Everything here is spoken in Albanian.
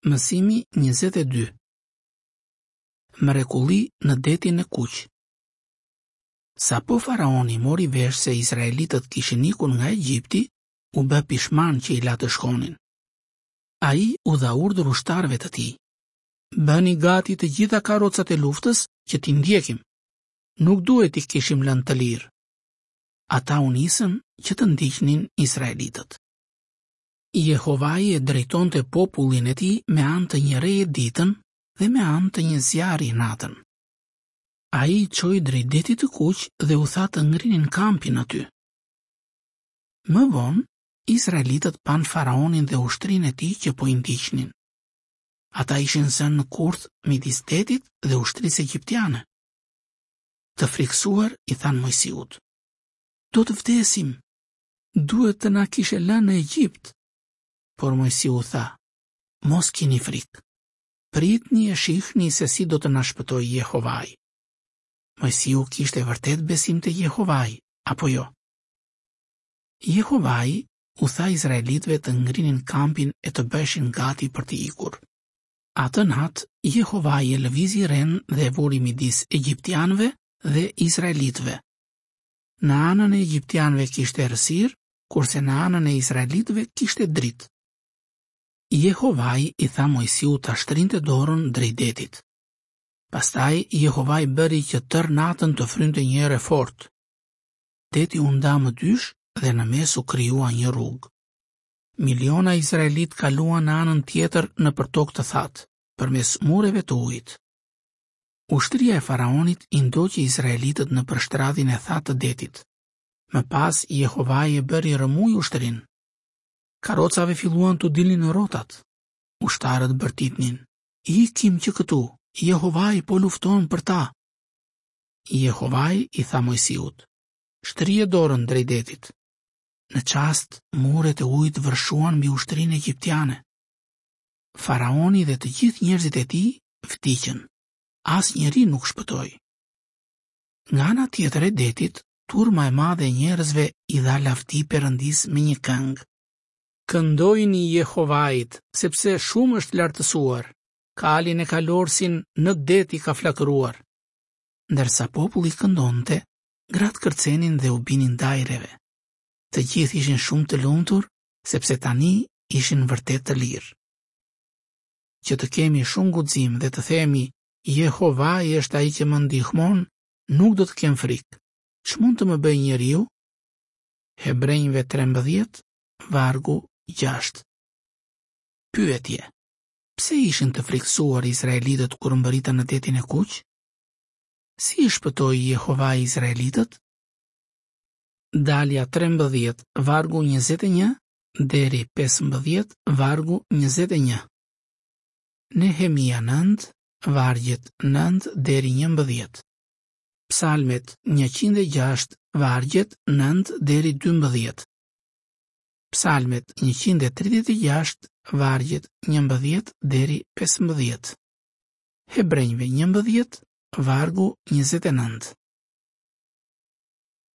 Mësimi 22 Mrekulli në detin e kuq Sapo faraoni mori vesh se izraelitët kishin ikur nga Egjipti, u bë pishman që i la të shkonin. Ai u dha urdhër ushtarëve të tij. Bëni gati të gjitha karrocat e luftës që t'i ndjekim. Nuk duhet t'i kishim lënë të lirë. Ata u nisën që të ndiqnin izraelitët. Jehovai e drejtonte popullin e tij me anë të një reje ditën dhe me anë të një zjarri natën. Ai i çoi drejt detit të kuq dhe u tha të ngrinin kampin aty. Më vonë, izraelitët panë faraonin dhe ushtrinë e tij që po i ndiqnin. Ata ishin zënë në kurth midis detit dhe ushtrisë egjiptiane. Të frikësuar i thanë Moisiut: Do të vdesim, duhet të na kishe lënë në Egjipt. Por Moisiu u tha, mos kini frikë. Pritni e shihni se si do të na shpëtojë Jehovai. Moisiu kishte vërtet besim te Jehovai, apo jo? Jehovai u tha izraelitëve të ngrinin kampin e të bëheshin gati për të ikur. Atë natë, Jehovai e lëvizi renë dhe e vuri midis egjiptianëve dhe izraelitëve. Në anën e egjiptianëve kishte errësirë, kurse në anën e izraelitëve kishte dritë. Jehovai i tha Moisiut ta shtrinte dorën drejt detit. Pastaj Jehovai bëri që tërë natën të frynte një erë e fortë. Deti u nda më dysh dhe në mes u krijua një rrugë. Miliona izraelitë kaluan në anën tjetër nëpër tokë të thatë, përmes mureve të ujit. Ushtria e faraonit i ndoqi izraelitët nëpër shtratin e thatë të detit. Më pas Jehovai e bëri rrëmujë ushtrinë. Karrocave filluan t'u dilnin rrotat. Ushtarët bërtitnin: "Ikim që këtu, Jehovai po lufton për ta." Jehovai i tha Moisiut: "Shtrije dorën drejt detit." Në çast, muret e ujit vërshuan mbi ushtrinë egjiptiane. Faraoni dhe të gjithë njerëzit e tij vdiqën. Asnjëri nuk shpëtoi. Nga ana tjetër e detit, turma e madhe e njerëzve i dha lavdi Perëndisë me një këngë. Këndojini Jehovait, sepse shumë është lartësuar. Kalin e kalorësin në det i ka flakëruar. Ndërsa populli këndonte, gratë kërcenin dhe u binin dajreve. Të gjithë ishin shumë të lumtur, sepse tani ishin vërtet të lirë. Që të kemi shumë guxim dhe të themi, Jehovai është ai që më ndihmon, nuk do të kem frikë. Ç'mund të më bëjë njeriu? Hebrenjve 13, vargu 6. Pyetje: Pse ishin të frikësuar izraelitët kur mbërritën në Detin e Kuq? Si i shpëtoi Jehovai izraelitët? Dalja 13, vargu 21 deri 15, vargu 21. Nehemia 9, vargjet 9 deri 11. Psalmet 106, vargjet 9 deri 12. Psalmet 136, vargjet 11 deri 15. Hebrenjve 11, vargu 29.